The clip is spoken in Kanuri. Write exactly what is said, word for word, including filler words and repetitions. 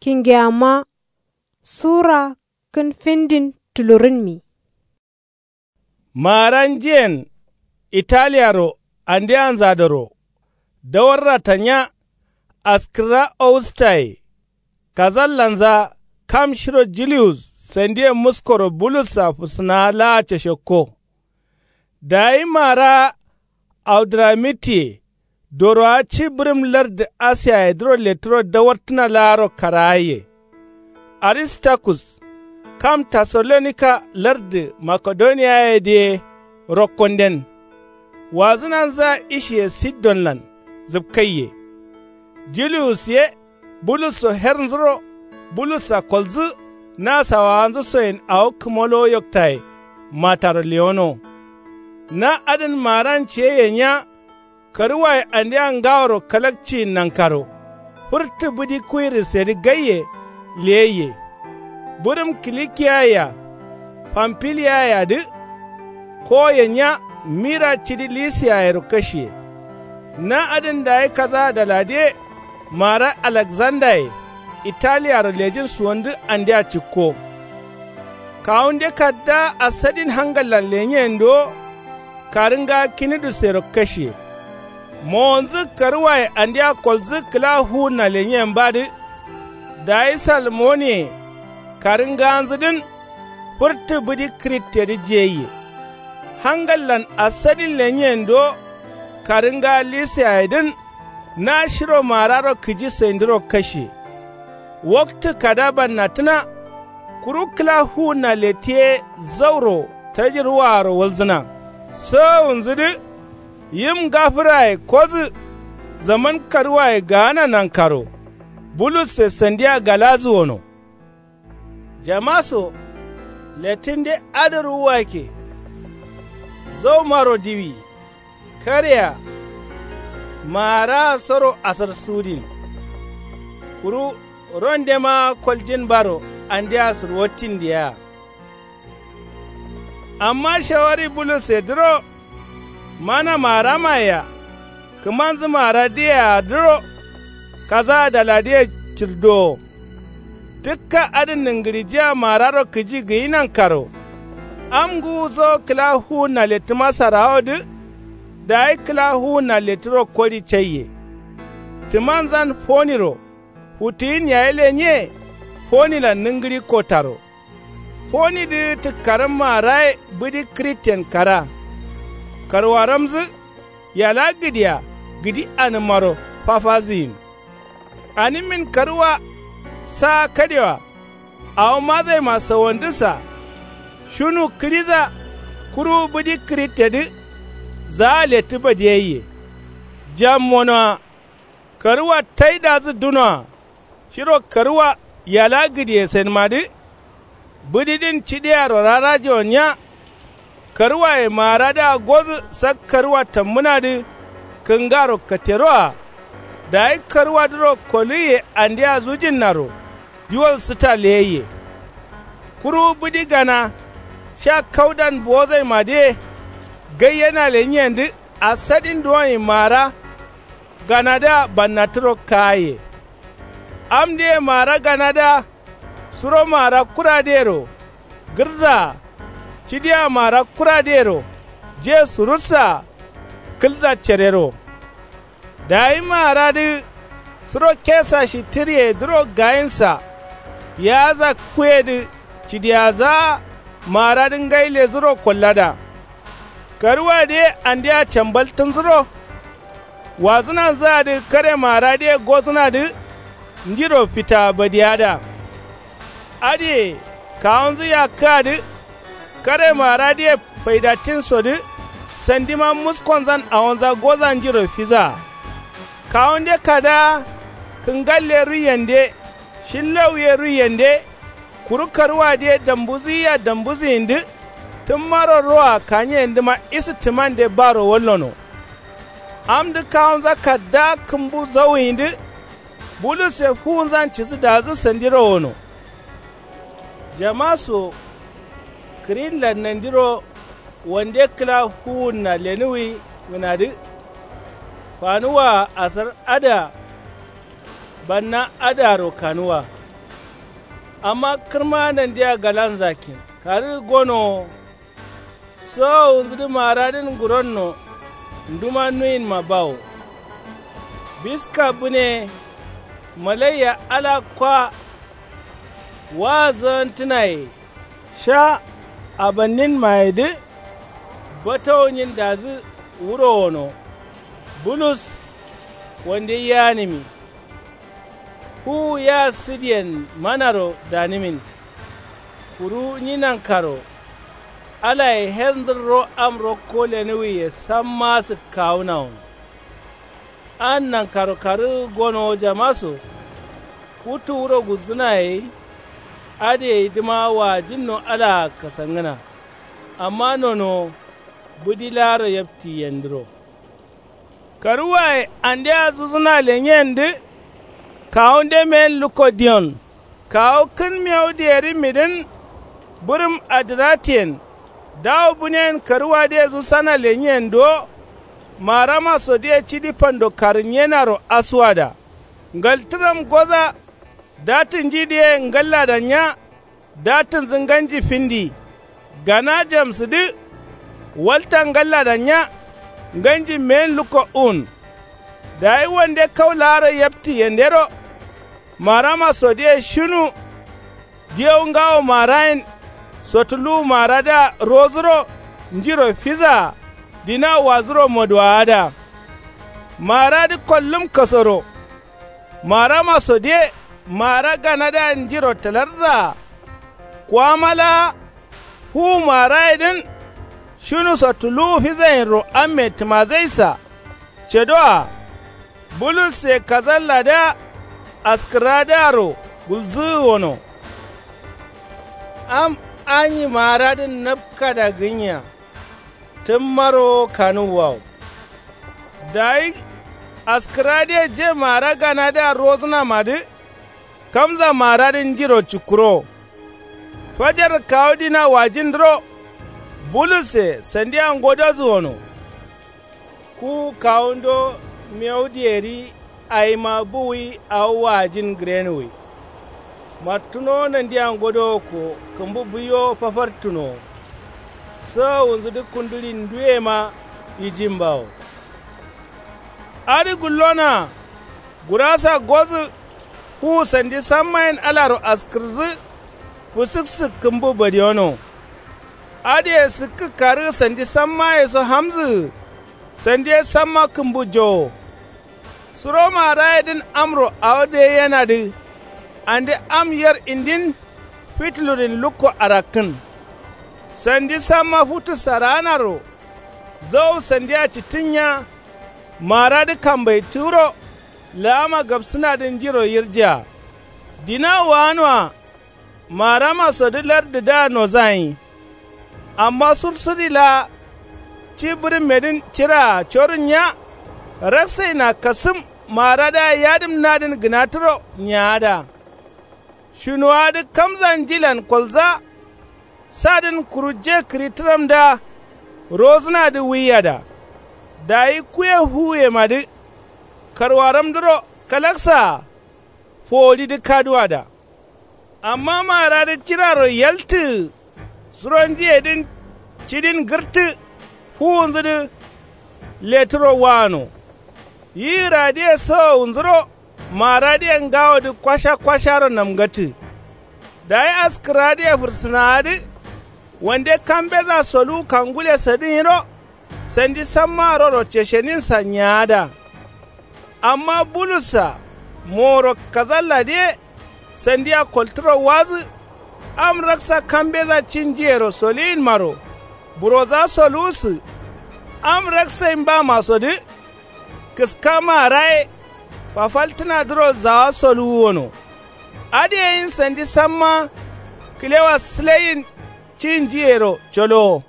Kingeyama sura kǝn findin tulurǝnmi. Maara njiyen italiyaro andeanzadoro dawarra tanya. Askǝrra owustaye kazallanza kam shiro julius sandiye muskoro bulussa fusǝnaa laa cashakko. Dayi maara audramitiye dorowa ci bǝrǝm lardǝ asiyayedǝro lettǝro dawartǝna laaro karaaye. Aristakkus kam tesalonika lardǝ makedoniyayedǝye rokkonden. Wazǝnanzǝa ishiye sidonlan zǝpkaiye. Julius ye bulusso hernzuro bulussa kolzǝ na sawawanzǝ soyen awo kǝmolowo yoktaye. Mataro lewono na adǝn maaran ciye yenya. Karǝwaye andea ngaworo kalakciyin nankaro fǝrtǝ bǝdi kuwirǝsedǝ gaiye leyaiye. Bǝrǝm kilikiyaye-a pamfiliyayedǝ kowo yenya mira cidi lisiyayero kashiye. Na adǝn dayi kaza daladǝye maara alaksandaye italiyaro lejin suwandǝ andea cikko. Kawunde kaddaa asadin hangallan lenyiyenduwo karǝngaa kinidusero kashiye. Mowonzǝ karǝwaye andea kolzǝ kǝla fuwunna lenyiyembadǝ. Dayi salmoniye karǝngaanzǝdǝn fǝrtǝ bǝdi kǝrittedǝ jiyaiye. Hangallan asadin lenyiyenduwo karǝngaa lisiyayedǝn na shiro maararo kǝji saindǝro kashiye. Waktǝ kada bannatǝna kuru kǝla fuwunna lettǝ ye zauro tajirwaaro walzǝna. Sowowunzǝdǝ yim ngafǝraye kodǝ zaman karǝwaye gaana nankaro bulusse sandia galadǝ wono. Jamaso lettǝnde adǝ ruwuwakke. Zaumaro diwi kareya maaraa soro asar sudin. Kuru rondema koljin baro andea sǝrwattin diyeya. Amma shawari bulusse dǝro mana maaramaye-a kǝmanzǝ maara diyeyea dǝro kaza daladǝye cirdowo. Tǝkka adǝ nǝngǝrijiyea maararo kǝji gǝyi nankaro. Am ngǝwuso kǝla fuwunna lettǝma sarawodǝ. Dayi kǝla fuwunna lettǝro kodi caiye. Tǝmanzan foniro futtǝyin yayi lenye. Fonilan nǝngǝrikko taro fonidǝ tǝkkarǝm maaraye bǝdi kǝritten kara. Karwaramzǝ yala gǝdiya gǝdi anǝmmaro fafazǝyin. Anǝmmin karǝwa saa kadewa awo mazaima sawandǝssa. Shunu kǝriza kuru bǝdi kǝrittedǝ. Zaa lettǝ badiyaiye. Jam monoa karǝwa taidazǝ dunoa shiro karǝwa yala gǝdiyesenmadǝ. Bǝdidǝn cidiyaro rarajewo nya. Karǝwaye maaradǝa godǝ sak karǝwa tambǝnadǝ kǝngaro kateroa. Dayi karǝwadǝro koluiye andea zujinnaro diwol sǝta leyaiye. Kuru bǝdi gana sha kaudan buwozaimadǝye gaiyena lenyiyendǝ asadin duwonyi maara ganadǝa bannatǝro kaaye. Amdǝye maara ganadǝa suro maara kuradǝyero gǝrdzaa cidia maara kuradǝyero je surutsaa kǝlza cerero. Dayi maaradǝ suro kesa shitǝriyedǝro gayinsa. Yaza kuyedǝ cidiyazaa maaradǝ ngai lezǝro kollada. Karǝwadǝ ye andea cambaltǝnzǝro. Wazǝnanzǝadǝ kare maaradǝye gozǝnadǝ njiro fitaa badiyada. Adǝye kawunzǝ yakkǝadǝ kare maaradǝye faidattinsodǝ sandima muskonzan awonza goza njiro fizaa. Kawunde kadaa kǝngalle ruiyende shillauye ruiyende. Kuru karwadǝye dambuzǝyia dambuzǝyindǝ tǝmmaro roa kaniyendǝma isǝ tǝmande baro wallono. Amdǝ kawunza kaddaa kǝmbu zauyindǝ bulusse fuwunzan cidǝ dazǝ sandiro wono. Jamaso kǝrinlan nandiro wande kǝla fuwunna lenuwi gǝnadǝ. Fanuwaa asar adǝa banna adǝaro kanuwa. Amma kǝrma nandiya galanzakin karǝ gonowo. Sowowunzǝdǝ maradǝn nguronno. Nduma nuwinma bawo. Biska bǝne. Malaiya ala kwa. Waazǝgǝntǝnaye. Sha abanninmayedǝ. Batawo nyindazǝ wuro wono. Bulus. Wande yanǝmi. Fuwu ya sǝdiyen manaro danǝmin. Kuru nyi nankaro. Alaye her ndǝrro am rokko lenǝwiye samma sǝkkawunawun. An nankaro karǝ gonowo jamaso. Futu wuro gulzǝnaye. Adǝ gaidǝma waajinno alaa kasangǝna. Amma nonowo. Bǝdi laaro yapti yendǝro. Karǝwaye ande azuzǝna lenyiyendǝ. Kawunde meyen lukko diyon. Kawu kǝn mewu diyerimidǝn. Bǝrǝm adǝratiyen. Dawu bǝneyen karǝwadǝye zusana lenyiyenduwo. Maramasodǝye cidi fando karǝnyenaro asuwada. Ngaltǝram goza. Datǝnjidǝye ngallada nya. Datǝnzǝ nganji findi. Gana jamsǝdǝ. Walta ngallada nya. Nganji meyen lukko un. Dayi wande kau laaro yapti yendero. Maramasodǝye shinu. Diyau ngawo marayen. Sotuluwu maradǝa rozuro. Njiro fizaa. Dina wazuro moduwaada. Maradǝ kollum kasoro. Maramasodǝye. Mara ganadǝa njiro tǝlarzaa. Kuwama laa. Fuwu marayedǝn. Shunuso tuluwu fizayinro amme tǝmazaisa. Cedoa. Bulusse kazalladǝa. Askǝradǝaro gulzǝgǝ wono. Am anyi maradǝn napkada gǝnya. Tǝmmaro kanuwwawo. Dayi. Askǝradǝye je mara ganadǝa rozǝnamadǝ. Kamza maradǝ njiro cukkurowo. Fajarǝ kawu dina wajindǝro. Bulusse sandia ngodozǝ wono. Ku kawundo mewu diyeri. Aima buwuyi awo wajin gǝrenwuyi. Mattunowo nandia ngodowo ko kǝmbu buiwo fafartunowo. Sowowunzudǝ kundulin nduyema. Yijimbawo. Adǝ gullona. Gurasa gozǝ. Fuwu sandi sammayen alaro askǝrǝzǝ. Fǝsǝksǝk kǝmbu badiyono. Adǝye sǝkkǝ karǝ sandi sammayeso hamzǝgǝ. Sandi ye samma kǝmbu jowo. Suro marayedǝn amro awo deyenadǝ. Ande am yer indin. Fitulurin lukko arakkǝn. Sandi samma futu saraanaro. Zau sandia cittǝnnya. Maradǝ kambaitǝgǝro. Laama gabsǝnadǝ njiro yirjea. Dina waanwa. Maramasodǝ lardǝdǝa nozayin. Amma sursuri laa. Ci bǝrǝmmedǝn ciraa corǝnnya. Raksaina kasǝm maradǝa yadǝmnadǝn gǝnatǝro nyaada. Shunuwadǝ kamza njilan kolza. Sadǝn kuru je kǝritǝramdǝa. Rozǝnadǝ wuiyada. Dayi kuye fuwuyemadǝ. Karwaramdǝro kalaksaa. Foworidǝ kaduwada. Amma maradǝ ciraro yaltǝgǝ. Suro njiyedǝn cidin gǝrtǝ. Fuwunzudǝ. Leturo waano. Yigǝradǝye sowowunzuro. Maradǝye ngawodǝ kwasha kwasharo namgattǝ. Dayi askǝradǝye fǝrsǝnaadǝ. Wande kambeza soluwu kangule sadǝ nyiro. Sandi samma roro cesheninsa nyaada. Amma bulussa moworo kazalladǝ ye. Sandia koltǝro wazǝ. Am raksa kambeza cinjiyero soliyinmaro. Buroza soluwusǝ. Am raksayin bamasodǝ. Kǝska maraye. Fafaltǝnadǝro zawa soluwu wono. Adǝyeyin sandi samma. Kǝlewa sǝleyin. Cinjiyero colowo.